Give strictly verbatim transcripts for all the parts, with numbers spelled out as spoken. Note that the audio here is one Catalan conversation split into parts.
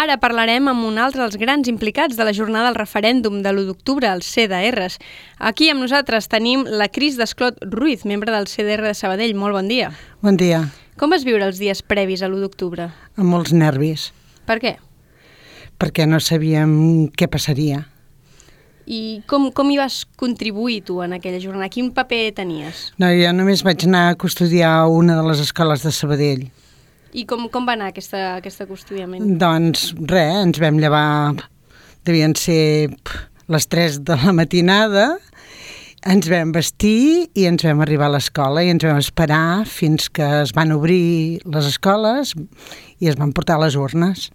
Ara parlarem amb un altre dels grans implicats de la jornada del referèndum de l'u d'octubre, els C D Rs. Aquí amb nosaltres tenim la Cris Desclot Ruiz, membre del C D R de Sabadell. Molt bon dia. Bon dia. Com vas viure els dies previs a l'u d'octubre? Amb molts nervis. Per què? Perquè no sabíem què passaria. I com, com hi vas contribuir tu en aquella jornada? Quin paper tenies? No, jo només vaig anar a custodiar una de les escoles de Sabadell. I com, com va anar aquesta, aquest custodiament? Doncs res, ens vam llevar, devien ser les tres de la matinada, ens vam vestir i ens vam arribar a l'escola i ens vam esperar fins que es van obrir les escoles i es van portar les urnes.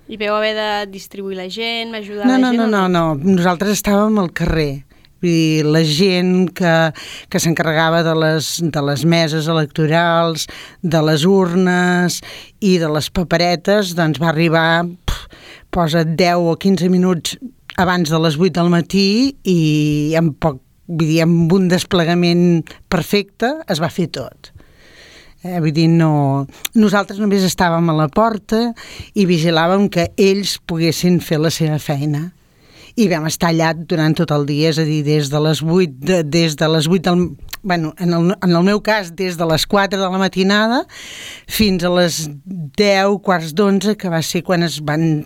I vau haver de distribuir la gent, ajudar no, la no, gent? No, no, no, no, nosaltres estàvem al carrer. Vull dir, la gent que, que s'encarregava de les, de les meses electorals, de les urnes i de les paperetes, doncs va arribar, pff, posa deu o quinze minuts abans de les vuit del matí i en poc, vull dir, amb un desplegament perfecte es va fer tot. Eh, vull dir, no... Nosaltres només estàvem a la porta i vigilàvem que ells poguessin fer la seva feina. I vam estar allà durant tot el dia, és a dir, des de les vuit, de, des de les vuit del... Bueno, en el, en el meu cas, des de les quatre de la matinada fins a les deu, quarts d'onze, que va ser quan es van,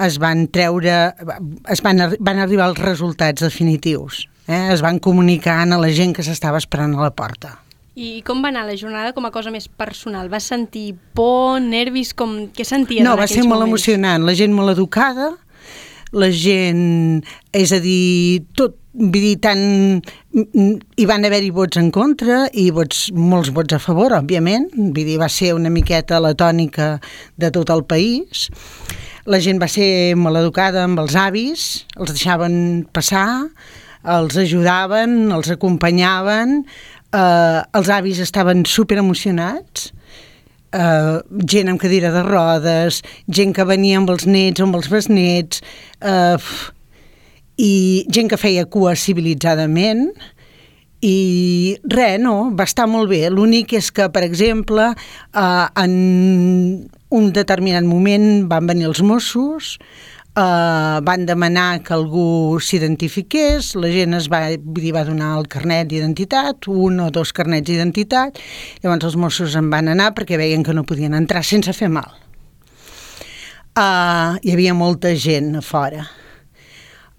es van treure... Es van, van arribar els resultats definitius. Eh? Es van comunicar a la gent que s'estava esperant a la porta. I com va anar la jornada com a cosa més personal? Vas sentir por, nervis, com... què senties no, en aquells moments? No, va ser molt emocionant. La gent molt educada, la gent, és a dir, tot, vull dir, tant, hi van haver-hi vots en contra i vots, molts vots a favor, òbviament, vull dir, va ser una miqueta la tònica de tot el país. La gent va ser molt educada amb els avis, els deixaven passar, els ajudaven, els acompanyaven, eh, els avis estaven super emocionats, Uh, gent amb cadira de rodes, gent que venia amb els nets o amb els besnets, uh, i gent que feia cua civilitzadament, i res, no, va estar molt bé. L'únic és que, per exemple, uh, en un determinat moment van venir els Mossos, Uh, van demanar que algú s'identifiqués, la gent es va, dir, va donar el carnet d'identitat, un o dos carnets d'identitat, llavors els Mossos en van anar perquè veien que no podien entrar sense fer mal. Uh, hi havia molta gent a fora.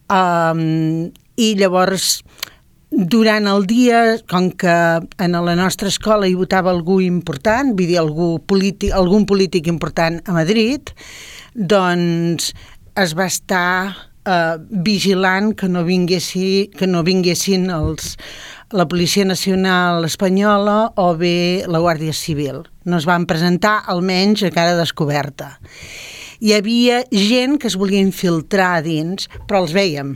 Um, I llavors, durant el dia, com que en la nostra escola hi votava algú important, vull dir, algú polític, algun polític important a Madrid, doncs es va estar eh, vigilant que no, vinguessi, que no vinguessin els, la Policia Nacional Espanyola o bé la Guàrdia Civil. No es van presentar, almenys, a cara descoberta. Hi havia gent que es volia infiltrar dins, però els vèiem.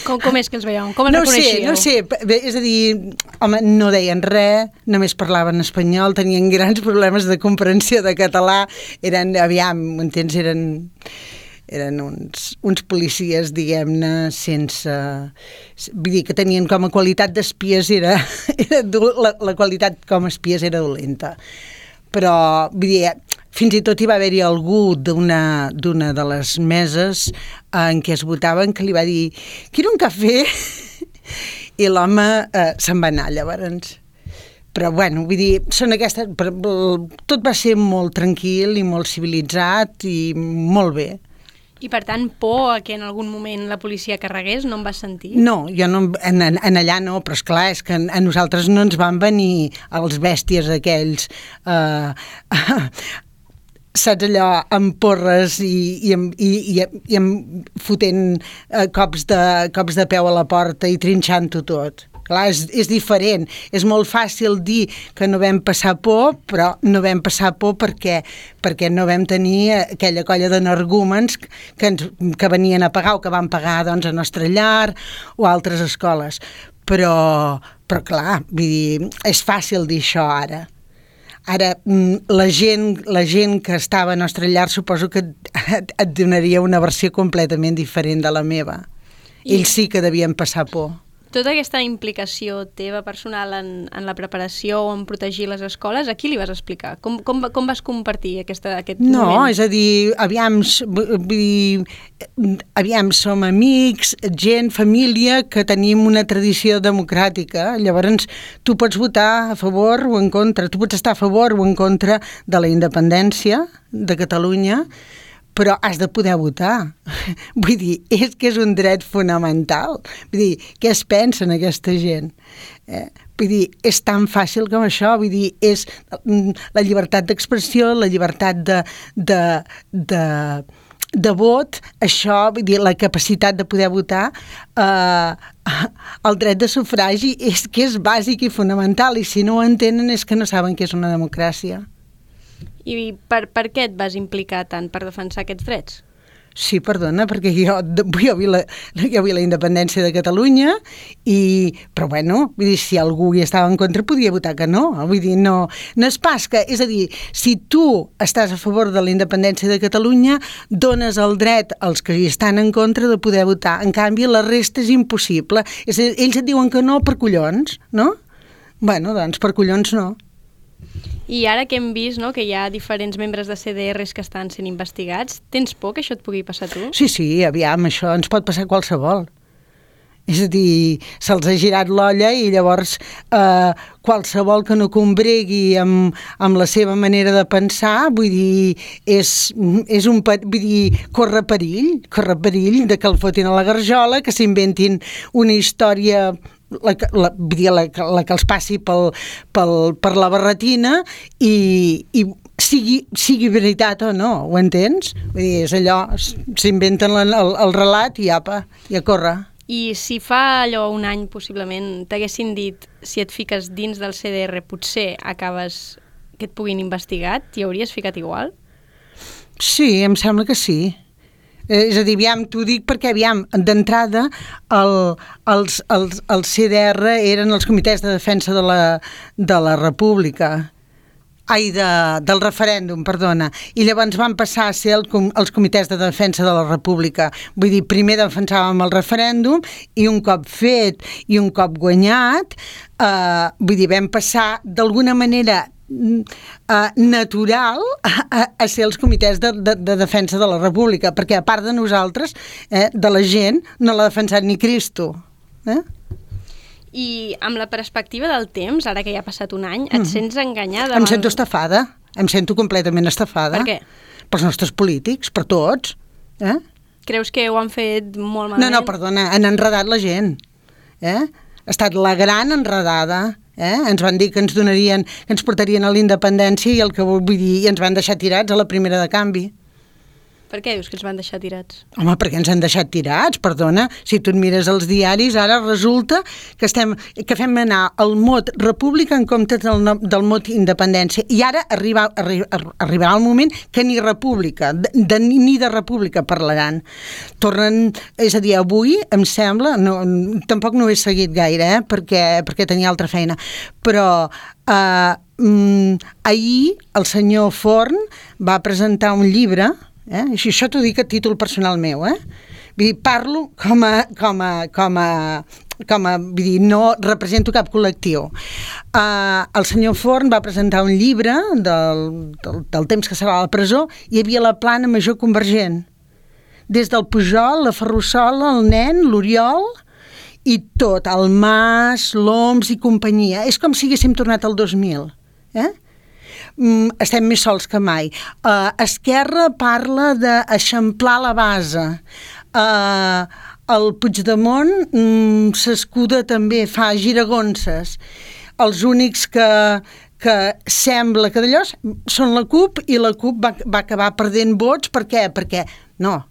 Com, com és que els veieu? Com els no reconeixíeu? No sé, no sé. És a dir, home, no deien res, només parlaven espanyol, tenien grans problemes de comprensió de català, eren, aviam, entens, eren... eren uns, uns policies, diguem-ne, sense... Vull dir que tenien com a qualitat d'espies, era, era la, la qualitat com a espies era dolenta. Però, vull dir, fins i tot hi va haver-hi algú d'una d'una de les meses en què es votaven que li va dir «Quiero un cafè?» i l'home eh, se'n va anar, llavors. Però, bueno, vull dir, són aquestes... Tot va ser molt tranquil i molt civilitzat i molt bé. I, per tant, por a que en algun moment la policia carregués, no em vas sentir? No, jo no, en, en allà no, però esclar, és que a nosaltres no ens van venir els bèsties aquells, eh, saps allò, amb porres i, i, i, i, i amb fotent eh, cops, de, cops de peu a la porta i trinxant-ho tot. Clar, és, és diferent. És molt fàcil dir que no vam passar por, però no vam passar por perquè, perquè no vam tenir aquella colla d'energúmens que, ens, que venien a pagar o que van pagar doncs, a Nostra Llar o a altres escoles. Però, però clar, vull dir, és fàcil dir això ara. Ara, la gent, la gent que estava a Nostra Llar suposo que et, et donaria una versió completament diferent de la meva. I... Ells sí que devien passar por. Tota aquesta implicació teva personal en, en la preparació o en protegir les escoles, a qui li vas explicar? Com, com, com vas compartir aquesta, aquest no, moment? No, és a dir, aviam, vull dir, aviam, som amics, gent, família, que tenim una tradició democràtica. Llavors, tu pots votar a favor o en contra, tu pots estar a favor o en contra de la independència de Catalunya, però has de poder votar. Vull dir, és que és un dret fonamental. Vull dir, què es pensa en aquesta gent? Eh? Vull dir, és tan fàcil com això. Vull dir, és la llibertat d'expressió, la llibertat de, de, de, de vot, això, vull dir, la capacitat de poder votar, eh, el dret de sufragi és que és bàsic i fonamental, i si no ho entenen és que no saben què és una democràcia. I per, per què et vas implicar tant per defensar aquests drets? Sí, perdona, perquè jo, jo, vi la, jo vi la independència de Catalunya, i, però bueno, vull dir, si algú hi estava en contra podia votar que no. Vull dir, no, no és pas que... És a dir, si tu estàs a favor de la independència de Catalunya, dones el dret als que hi estan en contra de poder votar. En canvi, la resta és impossible. És a dir, ells et diuen que no per collons, no? Bueno, doncs per collons no. I ara que hem vist, no, que hi ha diferents membres de C D Rs que estan sent investigats, tens por que això et pugui passar a tu? Sí, sí, aviam, això ens pot passar a qualsevol. És a dir, se'ls ha girat l'olla i llavors eh, qualsevol que no combregui amb, amb la seva manera de pensar, vull dir, és, és un, vull dir, corre perill, corre perill de que el fotin a la garjola, que s'inventin una història... La, la, la, la que els passi pel, pel, per la barretina i, i sigui, sigui veritat o no, ho entens? Vull dir, és allò, s'inventen el, el, el relat i apa, i a córrer. I si fa allò un any, possiblement, t'haguessin dit si et fiques dins del C D R potser acabes que et puguin investigar, t'hi hauries ficat igual? Sí, em sembla que sí. Eh, és a dir, aviam, t'ho dic perquè, aviam, d'entrada el, els, els, els C D R eren els comitès de defensa de la, de la República, ai, de, del referèndum, perdona, i llavors van passar a ser el, els comitès de defensa de la República. Vull dir, primer defensàvem el referèndum i un cop fet i un cop guanyat, eh, vull dir, vam passar d'alguna manera Uh, natural a, a ser els comitès de, de, de defensa de la República, perquè a part de nosaltres, eh, de la gent, no l'ha defensat ni Cristo. Eh? I amb la perspectiva del temps, ara que ja ha passat un any, et mm. sents enganyada? Em sento estafada, em sento completament estafada. Per què? Pels nostres polítics, per tots. Eh? Creus que ho han fet molt malament? No, no, perdona, han enredat la gent. Eh? Ha estat la gran enredada. Eh? Ens van dir que ens donarien, que ens portarien a la independència i el que vull dir, i ens van deixar tirats a la primera de canvi. Per què dius que ens van deixar tirats? Home, perquè ens han deixat tirats, perdona. Si tu et mires els diaris, ara resulta que, estem, que fem anar el mot república en comptes del, del mot independència. I ara arriba, arri, arribarà el moment que ni república, de, de, ni de república parlaran. Tornen, és a dir, avui, em sembla, no, tampoc no ho he seguit gaire, eh, perquè, perquè tenia altra feina, però eh, mm, ahir el senyor Forn va presentar un llibre. Eh? Això, això t'ho dic a títol personal meu, eh? Vull dir, parlo com a, com a, com a, com a, vull dir, no represento cap col·lectiu. Uh, el senyor Forn va presentar un llibre del, del, del temps que serà a la presó, i hi havia la plana major convergent. Des del Pujol, la Ferrusola, el nen, l'Oriol, i tot, el Mas, l'Oms i companyia. És com si haguéssim tornat al dos mil, eh? Mm, estem més sols que mai. Uh, Esquerra parla d'eixamplar la base. Uh, el Puigdemont mm, s'escuda també, fa giragonses. Els únics que, que sembla que d'allò són la CUP, i la CUP va, va acabar perdent vots. Per què? Perquè, no,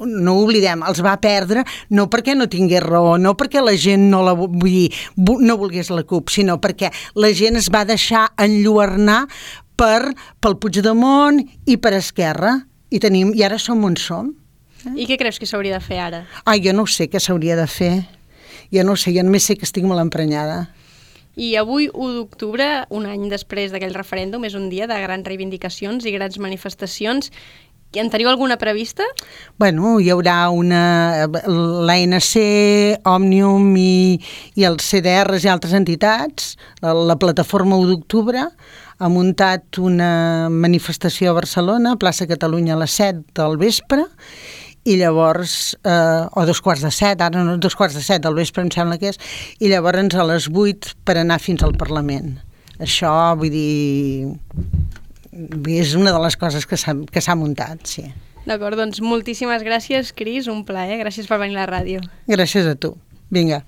no ho oblidem, els va perdre no perquè no tingués raó, no perquè la gent no la vull dir, no volgués la CUP, sinó perquè la gent es va deixar enlluernar per, pel Puigdemont i per Esquerra, i, tenim, i ara som on som. Eh? I què creus que s'hauria de fer ara? Ai, jo no sé què s'hauria de fer, jo no sé, jo només sé que estic molt emprenyada. I avui, u d'octubre, un any després d'aquell referèndum, és un dia de grans reivindicacions i grans manifestacions. En teniu alguna prevista? Bueno, hi haurà una... l'A N C, Òmnium i, i els C D Rs i altres entitats, la, la plataforma u d'octubre, ha muntat una manifestació a Barcelona, plaça Catalunya a les set del vespre, i llavors, eh, o dos quarts de set, ara no, dos quarts de set del vespre em sembla que és, i llavors a les vuit per anar fins al Parlament. Això, vull dir... és una de les coses que s'ha que s'ha muntat, sí. D'acord, doncs moltíssimes gràcies, Cris, un plaer. Gràcies per venir a la ràdio. Gràcies a tu. Vinga.